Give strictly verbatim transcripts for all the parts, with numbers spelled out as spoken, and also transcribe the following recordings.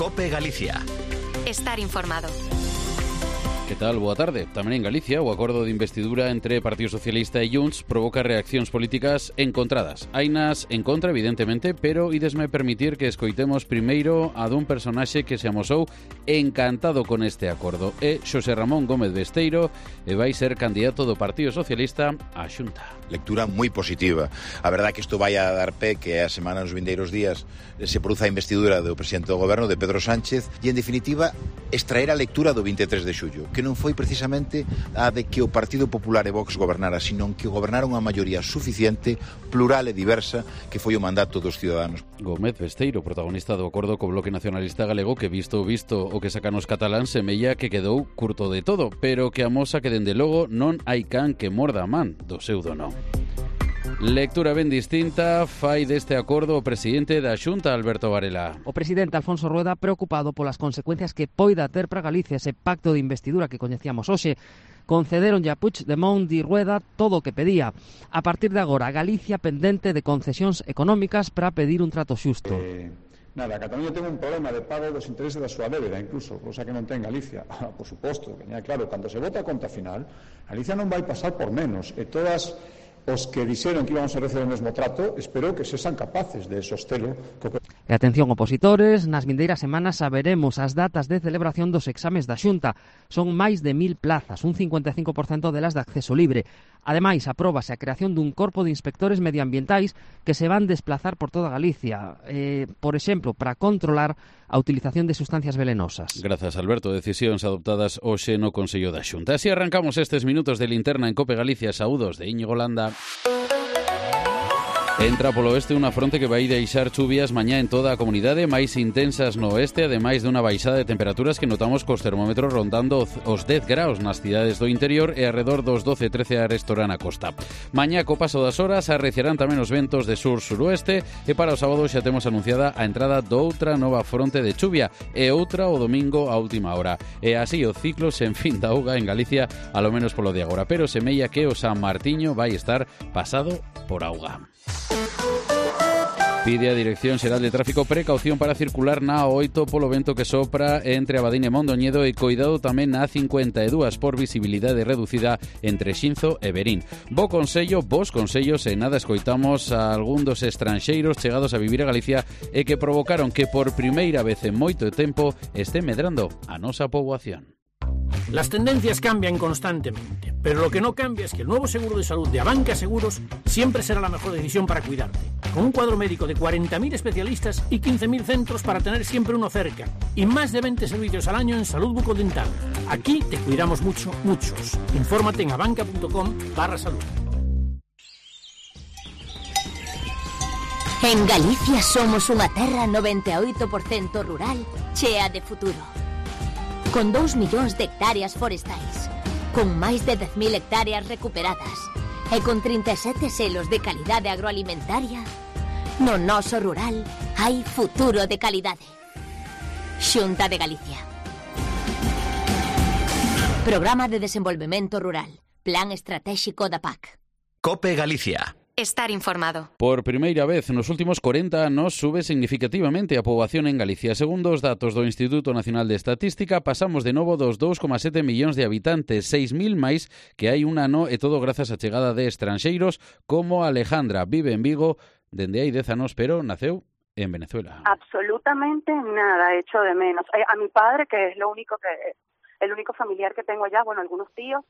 COPE Galicia. Estar informado. Que tal? Boa tarde. Tamén en Galicia, o acordo de investidura entre Partido Socialista e Junts provoca reaccións políticas encontradas. Hainas en contra, evidentemente, pero idesme permitir que escoitemos primeiro a dun personaxe que se amosou encantado con este acordo. É Xosé Ramón Gómez Besteiro e vai ser candidato do Partido Socialista á Xunta. Lectura moi positiva. A verdade é que isto vai a dar pé que a semana nos vindeiros días se produza a investidura do presidente do goberno, de Pedro Sánchez, e en definitiva extraer a lectura do vinte e tres de xullo, que non foi precisamente a de que o Partido Popular e Vox gobernara, sino que gobernaron unha maioría suficiente, plural e diversa, que foi o mandato dos ciudadanos. Gómez Besteiro, protagonista do acordo co Bloque Nacionalista Galego, que visto visto o que sacan os cataláns, semella que quedou curto de todo, pero que amosa que dende logo non hai can que morda a man do seu dono. Lectura ben distinta fai deste acordo o presidente da Xunta, Alberto Varela. O presidente Alfonso Rueda preocupado polas consecuencias que poida ter para Galicia ese pacto de investidura que coñecíamos hoxe. Concederonlle a Puigdemont e Rueda todo o que pedía. A partir de agora, Galicia pendente de concesións económicas para pedir un trato xusto. Eh... Nada, Cataluña ten un problema de pago dos intereses da súa débeda, incluso, cosa que non ten Galicia. Ah, por suposto, que claro, cando se vota a conta final, Galicia non vai pasar por menos, e todas os que dixeron que íbamos a receber o mesmo trato, espero que sexan capaces de sostelo. E atención, opositores, nas vindeiras semanas saberemos as datas de celebración dos exames da Xunta. Son máis de mil plazas, un cincuenta e cinco por cento delas de acceso libre. Ademais, apróbase a creación dun corpo de inspectores medioambientais que se van desplazar por toda Galicia, eh, por exemplo, para controlar a utilización de sustancias velenosas. Grazas, Alberto. Decisións adoptadas hoxe no Consello da Xunta. Así arrancamos estes minutos de linterna en COPE Galicia. Saúdos de Íñigo Landa. Entra polo oeste unha fronte que vai deixar chuvias mañá en toda a comunidade, máis intensas no oeste, ademais dunha baixada de temperaturas que notamos cos termómetros rondando os dez graus nas cidades do interior e arredor dos doce a trece a restora na costa. Mañá, co paso das horas, arreciarán tamén os ventos de sur-suroeste e para o sábado xa temos anunciada a entrada doutra nova fronte de chuvia e outra o domingo a última hora. E así o ciclo sen fin da auga en Galicia, alo menos polo de agora, pero semella que o San Martiño vai estar pasado por auga. Pide a Dirección Xeral de Tráfico precaución para circular na A oito polo vento que sopra entre Abadín e Mondoñedo e coidado tamén na A cincuenta e dúas por visibilidade reducida entre Xinzo e Verín. Bo consello, vos consellos e nada escoitamos a algún dos estranxeiros chegados a vivir a Galicia e que provocaron que por primeira vez en moito tempo este medrando a nosa poboación. Las tendencias cambian constantemente, pero lo que no cambia es que el nuevo seguro de salud de Abanca Seguros siempre será la mejor decisión para cuidarte. Con un cuadro médico de cuarenta mil especialistas y quince mil centros para tener siempre uno cerca. Y más de veinte servicios al año en salud bucodental. Aquí te cuidamos mucho, muchos. Infórmate en abanca.com barra salud. En Galicia somos unha terra noventa e oito por cento rural chea de futuro. Con dous millóns de hectáreas forestais, con máis de dez mil hectáreas recuperadas e con trinta e sete selos de calidade agroalimentaria, no noso rural hai futuro de calidade. Xunta de Galicia. Programa de Desenvolvemento Rural. Plan Estratéxico da P A C. COPE Galicia. Estar informado. Por primeira vez nos últimos corenta anos sube significativamente a poboación en Galicia. Segundo os datos do Instituto Nacional de Estatística, pasamos de novo dos dous coma sete millóns de habitantes, seis mil máis que hai un ano, e todo grazas á chegada de estranxeiros como Alejandra. Vive en Vigo dende hai dez anos, pero naceu en Venezuela. Absolutamente nada, echo de menos. A mi padre, que es lo único que el único familiar que tengo allá, bueno, algunos tíos,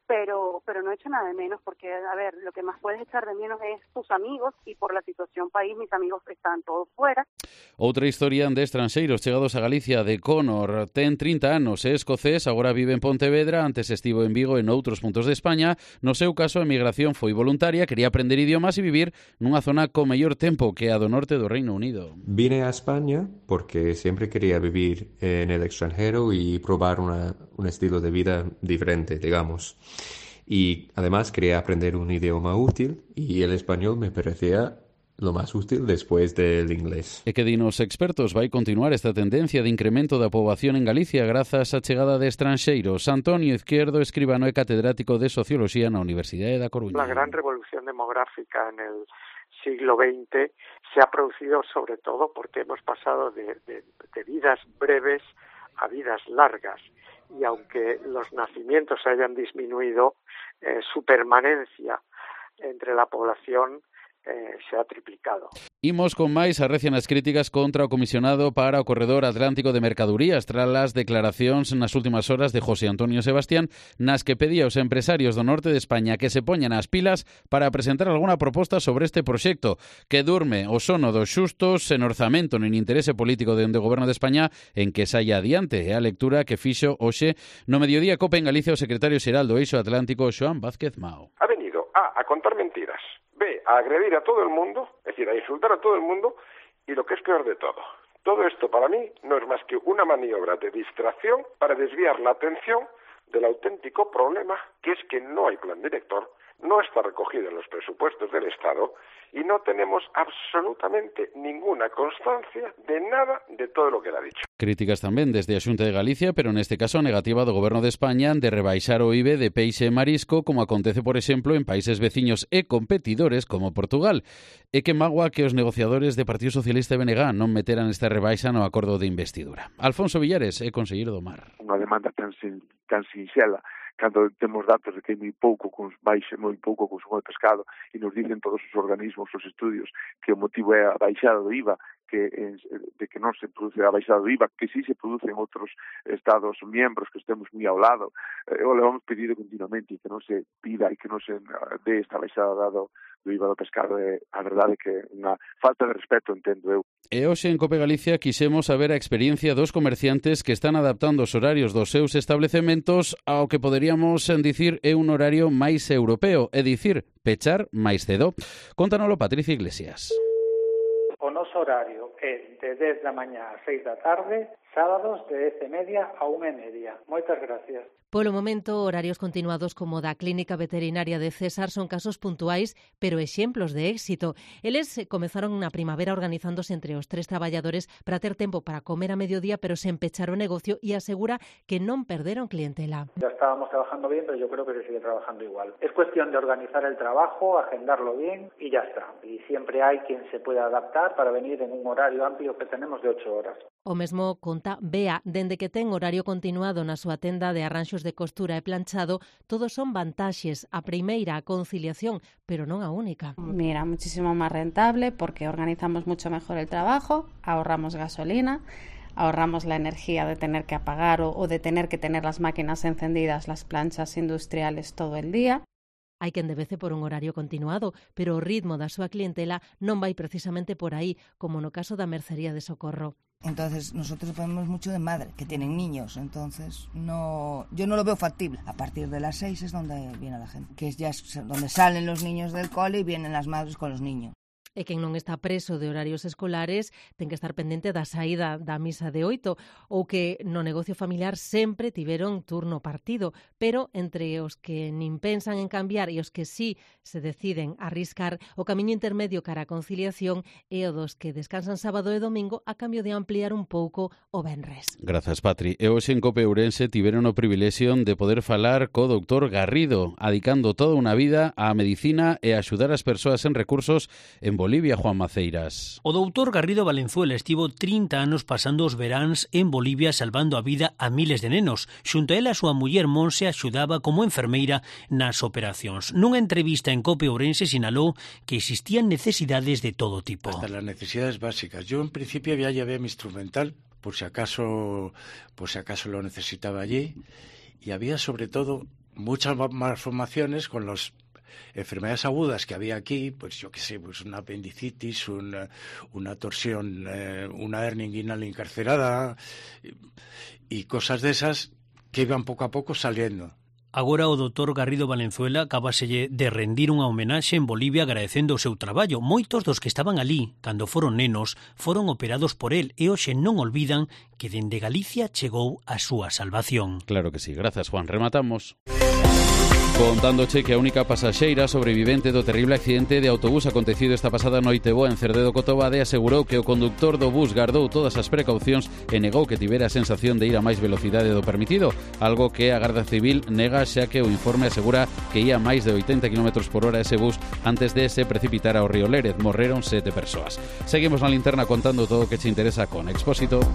pero pero no he hecho nada de menos porque, a ver, lo que más puedes echar de menos es tus amigos y por la situación país, mis amigos están todos fuera. Outra historia de estranxeiros chegados a Galicia, de Conor. Ten trinta anos, é escocés, agora vive en Pontevedra, antes estivo en Vigo e noutros puntos de España. No seu caso, a emigración foi voluntaria, quería aprender idiomas e vivir nunha zona con mellor tempo que a do norte do Reino Unido. Vine a España porque siempre quería vivir en el extranjero y probar una, un estilo de vida diferente, digamos. Y además quería aprender un idioma útil y el español me parecía lo más útil después del inglés. E que din os expertos, vai continuar esta tendencia de incremento da poboación en Galicia grazas á chegada de estranxeiros. Antonio Izquierdo, escribano e catedrático de Socioloxía na Universidade da Coruña. La gran revolución demográfica en el siglo veinte se ha producido sobre todo porque hemos pasado de, de, de vidas breves a vidas largas, y aunque los nacimientos hayan disminuido, eh, su permanencia entre la población Eh, se ha triplicado. Imos con máis, arrecian as críticas contra o comisionado para o corredor atlántico de mercadurías tras as declaracións nas últimas horas de José Antonio Sebastián, nas que pedía aos empresarios do norte de España que se poñan as pilas para presentar algunha proposta sobre este proxecto, que durme o sono dos xustos sen orzamento nin interese político dende o Goberno de España en que saia adiante. É a lectura que fixo hoxe no Mediodía Cope en Galicia o secretario xeral do Eixo Atlántico, Xoán Vázquez Mao. Ha venido A, a contar mentiras, B, a agredir a todo el mundo, es decir, a insultar a todo el mundo, y lo que es peor de todo, todo esto para mí no es más que una maniobra de distracción para desviar la atención del auténtico problema, que es que no hay plan director, no está recogido en los presupuestos del Estado y no tenemos absolutamente ninguna constancia de nada de todo lo que le ha dicho. Críticas tamén desde a Xunta de Galicia, pero neste caso a negativa do Goberno de España de rebaixar o I V A de peixe e marisco, como acontece, por exemplo, en países veciños e competidores como Portugal. E que magua que os negociadores de Partido Socialista e B N G non meteran esta rebaixa no acordo de investidura. Alfonso Villares é conselleiro do Mar. Unha demanda tan, sin, tan sinxela, cando temos datos de que hai moi pouco baixa, moi pouco consumo de pescado, e nos dicen todos os organismos, os estudios, que o motivo é a baixada do I V A, que de que non se produce a baixada do I V A, que sí se produce en outros estados miembros que estemos moi ao lado. O le vamos pedido continuamente que non se pida e que non se dé esta baixada dado do I V A do pescado. É a verdade que é unha falta de respeto, entendo eu. E hoxe en Cope Galicia quixemos saber a experiencia dos comerciantes que están adaptando os horarios dos seus establecementos ao que poderíamos dicir é un horario máis europeo, é dicir, pechar máis cedo. Contanolo Patricia Iglesias. O noso horario é de dez da mañá a seis da tarde, sábados de dez e media a unha e media. Moitas gracias. Polo momento, horarios continuados como da Clínica Veterinaria de César son casos puntuais, pero exemplos de éxito. Eles comezaron na primavera organizándose entre os tres traballadores para ter tempo para comer a mediodía, pero sen pechar o negocio, e asegura que non perderon clientela. Ya estábamos trabajando bien, pero yo creo que se sigue trabajando igual. Es cuestión de organizar el trabajo, agendarlo bien y ya está. Y siempre hay quien se pueda adaptar para venir en un horario amplio que tenemos de ocho horas. O mesmo conta Bea, dende que ten horario continuado na súa tenda de arranxos de costura e planchado, todos son vantaxes. A primeira, a conciliación, pero non a única. Mira, muchísimo más rentable porque organizamos mucho mejor el trabajo, ahorramos gasolina, ahorramos la energía de tener que apagar o, o de tener que tener las máquinas encendidas, las planchas industriales todo el día. Hai quen debece por un horario continuado, pero o ritmo da súa clientela non vai precisamente por aí, como no caso da Mercería de Socorro. Entonces nosotros ponemos mucho de madre, que tienen niños, entonces no, yo no lo veo factible. A partir de las seis es donde viene la gente, que es ya donde salen los niños del cole y vienen las madres con los niños. E quen non está preso de horarios escolares ten que estar pendente da saída da misa de oito, ou que no negocio familiar sempre tiveron turno partido, pero entre os que nin pensan en cambiar e os que sí se deciden arriscar, o camiño intermedio cara a conciliación é o dos que descansan sábado e domingo a cambio de ampliar un pouco o venres. Grazas, Patri. E hoxe en Cope Ourense tiveron o privilexio de poder falar co doutor Garrido, adicando toda unha vida á medicina e a axudar as persoas en recursos en Bolivia. Bolivia, Juan Maceiras. O doutor Garrido Valenzuela estivo trinta anos pasando os veráns en Bolivia salvando a vida a miles de nenos. Xunto a ela, a súa muller Monse axudaba como enfermeira nas operacións. Nunha entrevista en Cope Ourense sinalou que existían necesidades de todo tipo. Hasta las necesidades básicas. Yo en principio había llevé mi instrumental por si acaso, por si acaso lo necesitaba allí, y había sobre todo muchas malformaciones con los enfermedades agudas que había aquí, pues yo qué sé, pues una apendicitis, una, una torsión, eh, una hernia inguinal encarcerada y cosas de esas que iban poco a poco saliendo. Agora o doutor Garrido Valenzuela acabaselle de rendir unha homenaxe en Bolivia agradecendo o seu traballo. Moitos dos que estaban ali, cando foron nenos, foron operados por el e hoxe non olvidan que dende Galicia chegou a súa salvación. Claro que sí. Grazas, Juan. Rematamos. Contándoche que a única pasaxeira sobrevivente do terrible accidente de autobús acontecido esta pasada noite boa en Cerdedo Cotobade asegurou que o conductor do bus gardou todas as precaucións e negou que tivera a sensación de ir a máis velocidade do permitido, algo que a Garda Civil nega, xa que o informe asegura que ia a máis de oitenta kilómetros por hora ese bus antes de se precipitar ao río Lérez. Morreron sete persoas. Seguimos na linterna contando todo o que che interesa con Expósito.